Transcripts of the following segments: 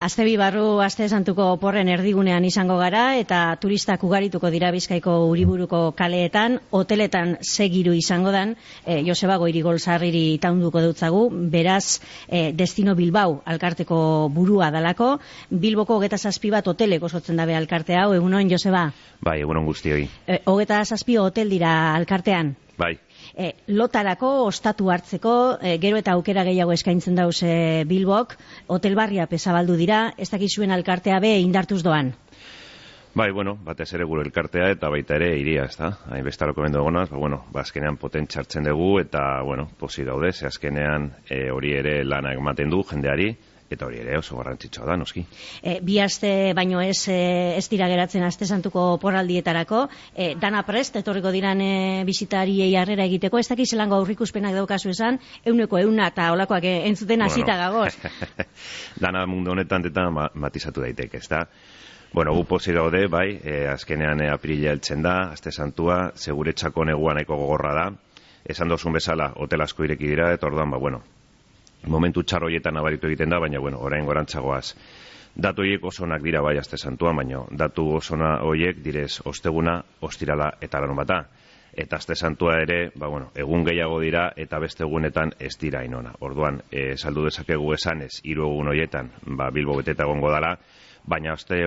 Astebi barru Aste Santuko oporren erdigunean izango gara eta turistak ugarituko dira Bizkaiko Uriburuko kaleetan, hoteletan segiru izango dan, Joseba Goirigol Sarriri taunduko dutzagu, beraz Destino Bilbao alkarteko burua dalako, Bilboko 27 bat hotelek osotzen dabe alkarte hau, egunon Joseba? Bai, egunon guztioi. 27 hotel dira alkartean? Bai. Lotarako, ostatu hartzeko, gero eta aukera gehiago eskaintzen dauz Bilbok, hotel barria pesabaldu dira, ez dakizuen alkartea be indartuz doan? Bai, bueno, batez ere gure elkartea eta baita ere iria, ez da? Hain bestaloko mendu egonaz, azkenean potentxartzen dugu eta, posi gaude, ze azkenean hori ere lana ematen du jendeari, eta hori ere oso garrantzitsua da, noski. Bi aste baino ez dira geratzen Aste Santuko porraldietarako, dana prest, etorriko diran bisitariei harrera egiteko, ez dakiz zelango aurrikuspenak daukazu esan, 100% eta olakoak entzuten hasita gagoz. Dana mundu honetan eta matizatu daiteke, ez da? Gu posi gaude, bai, azkenean apirila heltzen da, Aste Santua, seguretxako negua nahiko gogorra da, esan dozun bezala, hotel asko ireki dira, eta orduan, momentu txar horietan nabaritu egiten da, baina, orain gorantzagoaz. Datu horiek oso onak dira bai Aste Santuan, baina datu oso horiek direz osteguna, ostirala eta larunbata. Eta Aste Santua ere, egun gehiago dira eta beste egunetan ez dira inona. Orduan, saldu dezakegu esanez, 3 egun horietan, Bilbo beteta egongo dala, baina Aste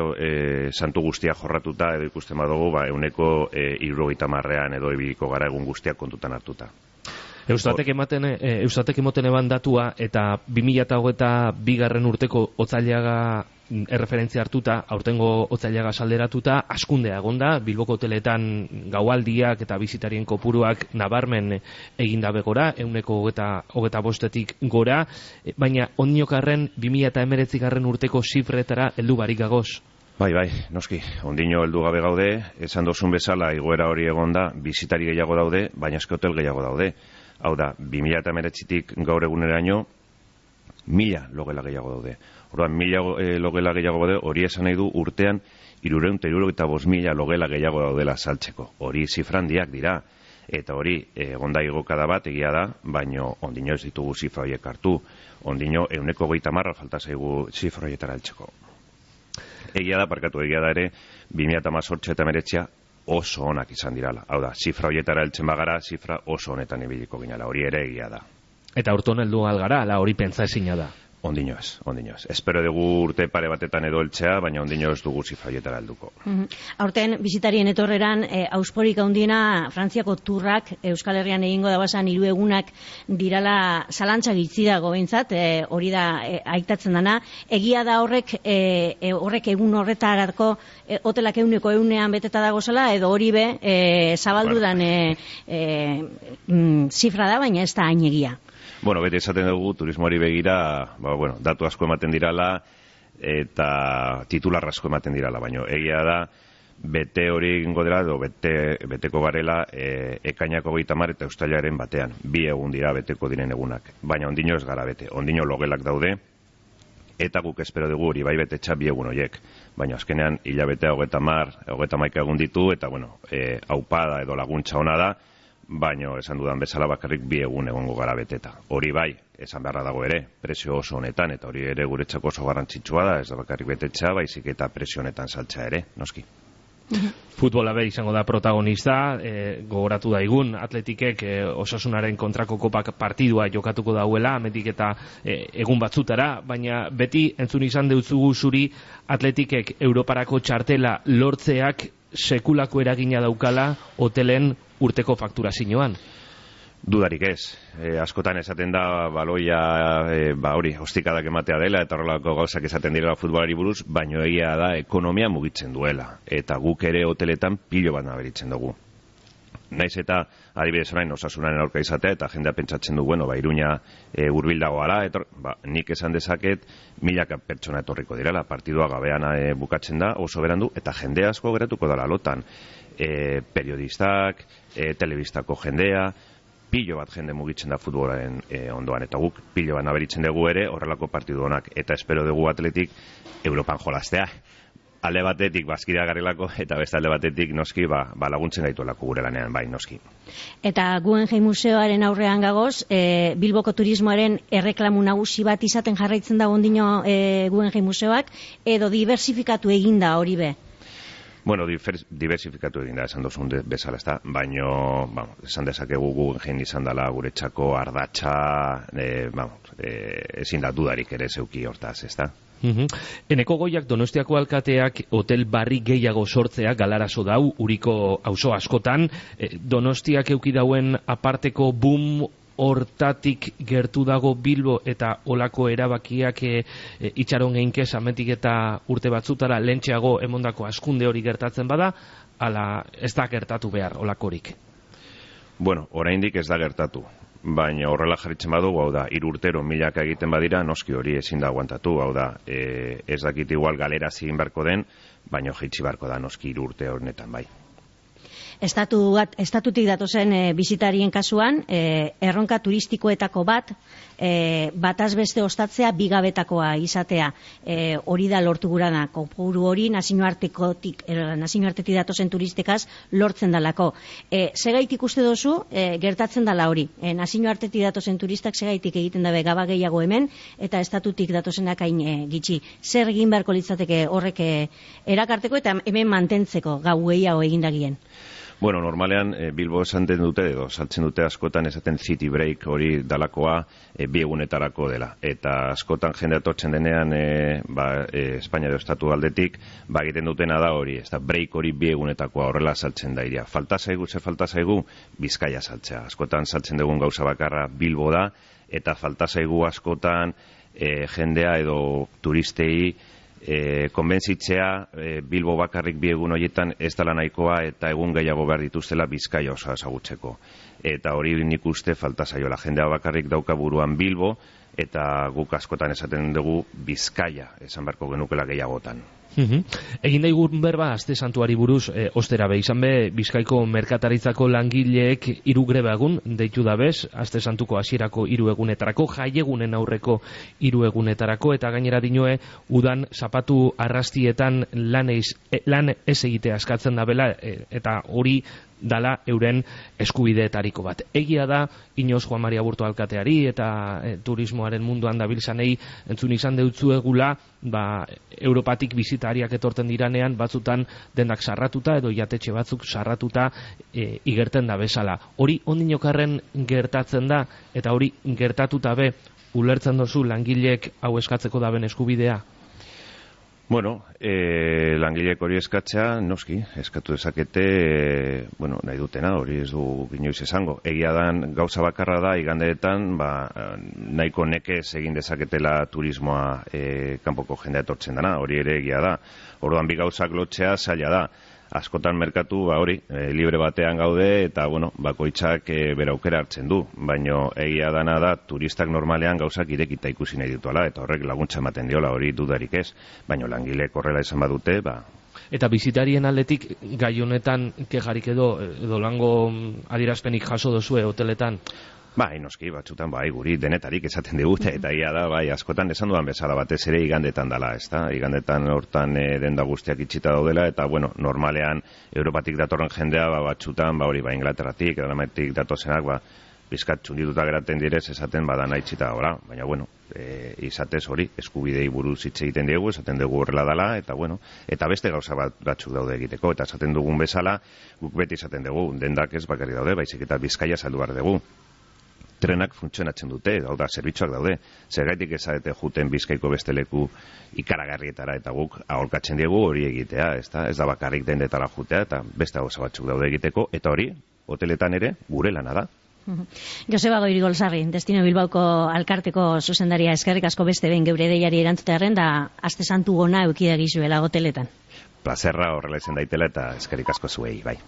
Santu guztia jorratuta edo ikusten badugu, 70 edo ibiliko gara egun guztiak kontutan hartuta. Eustatek emoten eban datua eta 2022 urteko otzailaga erreferentzia hartuta, aurtengo otzailaga salderatuta, askundea egonda, Bilboko hoteletan gaualdiak eta bisitarien kopuruak nabarmen egindabe gora, 125-tik gora, baina ondinokarren 2019 urteko zifretara heldu barik gagoz. Bai, noski, ondino heldu gabe gaude, esan dozun bezala igoera hori egonda, bisitari gehiago daude, baina eske hotel gehiago daude. Hau da, 2019-tik gaur eguneraino, 1000 logela gehiago daude. Orduan, 1000 logela gehiago daude, hori esan nahi du urtean 375.000 logela gehiago daudela saltzeko. Hori zifrandiak dira, eta hori egonda igokada bat egia da, baino ondino ez ditugu zifra horiek hartu. Ondino 130 falta zaigu zifra horietara heltzeko. Egia da ere, 2018 eta 2019 oso onak izan dirala. Hau da, zifra horietara heltzen bagara, zifra oso honetan ibiliko ginala. Hori ere egia da. Eta urton heldu algara, ala hori pentsa ezina da? Ondino ez. Espero dugu urte pare batetan edo heltzea, baina ondino ez dugu zifra horietara helduko. Aurten, bizitarien etorreran, ausporik handiena Frantziako turrak Euskal Herrian egingo dabazan 3 egunak dirala zalantza gitzi dago behintzat, hori da aitatzen dana. Egia da horrek egun horretarako hotelak 100% beteta dago zela, edo hori be zabaldudan zifra da, baina ez da hain egia. Beti esaten dugu, turismoari begira, datu asko ematen dirala eta titular asko ematen dirala, baina egia da, bete hori egingo dela, edo beteko garela ekainako 30 eta uztailaren batean. 2 egun dira beteko diren egunak, baina ondino ez gara bete, ondino logelak daude, eta guk espero dugu hori bai betetxa 2 egun horiek. Baina azkenean hilabetea 30 egun ditu, eta aupada edo laguntza ona da, baina esan dudan bezala bakarrik 2 egun egongo gara beteta. Hori bai, esan beharra dago ere, presio oso honetan, eta hori ere guretzako oso garrantzitsua da, ez da bakarrik betetxa, baizik eta presio honetan saltza ere, noski. Futbola be izango da protagonista, gogoratu daigun, Atletikek Osasunaren kontrako kopak partidua jokatuko dauela, ametik eta egun batzutara, baina beti entzun izan deutzugu zuri Atletikek Europarako txartela lortzeak sekulako eragina daukala hotelen urteko fakturazioan. Dudarik ez. Askotan esaten da baloia ostikadak ematea dela eta horrelako gauzak esaten direla futbolari buruz, baino egia da ekonomia mugitzen duela. Eta guk ere hoteletan pilo bat naberitzen dugu. Naiz eta adibidez orain Osasunaren aurka izatea eta jendea pentsatzen du, Iruña hurbil dagoala, nik esan dezaket 1000 pertsona etorriko direla, partidua gabean bukatzen da, oso berandu, eta jende asko geratuko dela lotan. Periodistak, telebistako jendea, pilo bat jende mugitzen da futbolaren ondoan, eta guk pilo bat naberitzen dugu ere horrelako partidu honak, eta espero dugu Atletik Europan jolastea. alde batetik bazkidea garelako, eta beste alde batetik noski laguntzen gaituelako gure lanean, bai, noski. Eta Guggenheim Museoaren aurrean gagoz, Bilboko turismoaren erreklamu nagusi bat izaten jarraitzen da ondino Guggenheim Museoak, edo diversifikatu eginda hori be? Bueno, diversifikatu egin da, esan dozun bezala, ezta? Baino, esan dezakegu Guggenheim izan dela guretzako ardatza, ezin da dudarik ere zeuki hortaz, ezta? Eneko Goiak Donostiako alkateak hotel barri gehiago sortzea galarazo dau, Uriko auzo askotan, Donostiak euki dauen aparteko boom hortatik gertu dago Bilbo eta olako erabakiak itxaron geinkez ametik eta urte batzutara lentxeago emondako askunde hori gertatzen bada, ala ez da gertatu behar olakorik? Bueno, oraindik ez da gertatu. Baina horrela jarritzen badugu, hau da, 3 urtero milaka egiten badira, noski hori ezin da aguantatu, hau da, ez dakit igual galera zigin barko den, baina jaitsi barko da noski 3 urte honetan, bai. Estatutik datozen bisitarien kasuan, erronka turistikoetako bat, bataz beste ostatzea bigabetakoa izatea. Hori da lortu gurana, kopuru hori nazioartetik datozen turistekaz lortzen dalako. Segaitik uste dozu, gertatzen dala hori. Nazioartetik datozen turistak segaitik egiten dabe gaba gehiago hemen, eta estatutik datozenak hain gitxi. Zer egin beharko litzateke horrek erakarteko eta hemen mantentzeko gau gehiago egindagien? Bueno, normalean Bilbo esaten dute edo saltzen dute askotan esaten city break hori dalakoa 2 egunetarako dela. Eta askotan jende atortzen denean Espainia edo estatu aldetik egiten dutena da hori, ez da break hori 2 egunetakoa horrela saltzen da iria. Falta zaigu Bizkaia saltzea. Askotan saltzen dugun gauza bakarra Bilbo da, eta falta zaigu askotan jendea edo turistei konbentzitzea Bilbo bakarrik 2 egun horietan ez dela nahikoa eta egun gehiago behar dituztela Bizkaia oso ezagutzeko. Eta hori nik uste falta zaiola. Jendea bakarrik dauka buruan Bilbo eta guk askotan esaten dugu Bizkaia esan beharko genukela gehiagotan. Egin daigun berba aste santuari buruz ostera be izan be Bizkaiko merkataritzako langileek 3 greba egun deitu dabez aste santuko hasierako 3 egunetarako, jaiegunen aurreko 3 egunetarako, eta gainera dinoe udan zapatu arrastietan lan ez egitea eskatzen dabela, eta hori dala euren eskubideetariko bat. Egia da, Inoz Juan Maria Burto alkateari eta turismoaren munduan dabiltzanei entzun izan deutzuegula, Europatik bizitariak etorten diranean batzutan dendak sarratuta edo jatetxe batzuk sarratuta igerten da bezala. Hori ondinokarren gertatzen da, eta hori gertatuta be ulertzen dozu langileek hau eskatzeko daben eskubidea? Bueno, langileek hori eskatzea, noski, eskatu dezakete, nahi dutena, hori ez du inoiz esango. Egia dan gauza bakarra da, igandeetan, nahiko nekez egin dezaketela turismoa kanpoko jendea etortzen dana, hori ere egia da. Orduan bi gauzak lotzea zaila da. Askotan merkatu, hori, libre batean gaude, eta, bakoitzak bere aukera hartzen du. Baina egia dana da, turistak normalean gauzak irekita ikusi nahi dituala, eta horrek laguntza ematen diola, hori dudarik ez. Baina langileek horrela izan badute, Eta bizitarien aldetik gai honetan kejarik edo lango adierazpenik jaso dozue hoteletan? Noski, batzutan, guri denetarik esaten digute, eta ia da, askotan esan dudan bezala batez ere igandetan dala, ezta? Igandetan hortan denda guztiak itxita daudela, eta, normalean, Europatik datorren jendea, batzutan, Inglaterratik, Danimarkatik datozenak, bizkat txundituta geraten direz, esaten badana itxita dagoela, baina, izatez hori, eskubidei buruz hitz egiten diegu, esaten dugu horrela dala, eta beste gauza batzuk daude egiteko, eta esaten dugun bezala, guk beti esaten dugu, dendak ez bakarri daude, baizik eta Bizkaia saldu behar dugu. Trenak funtzionatzen dute, zerbitzuak daude. Zergaitik ezarete juten Bizkaiko beste leku ikaragarrietara, eta guk aholkatzen diegu hori egitea, ez da bakarrik dendetara jutea, eta beste gauza batzuk daude egiteko, eta hori, hoteletan ere, gure lana da. Joseba Goirigolzarri, Destino Bilbaoko alkarteko zuzendaria, eskerrik asko beste behin geure deiari erantzutearen, da aste santu gona eukidagizuela hoteletan. Plazerra horrela izan daitela, eta eskerrik asko zuei, bai.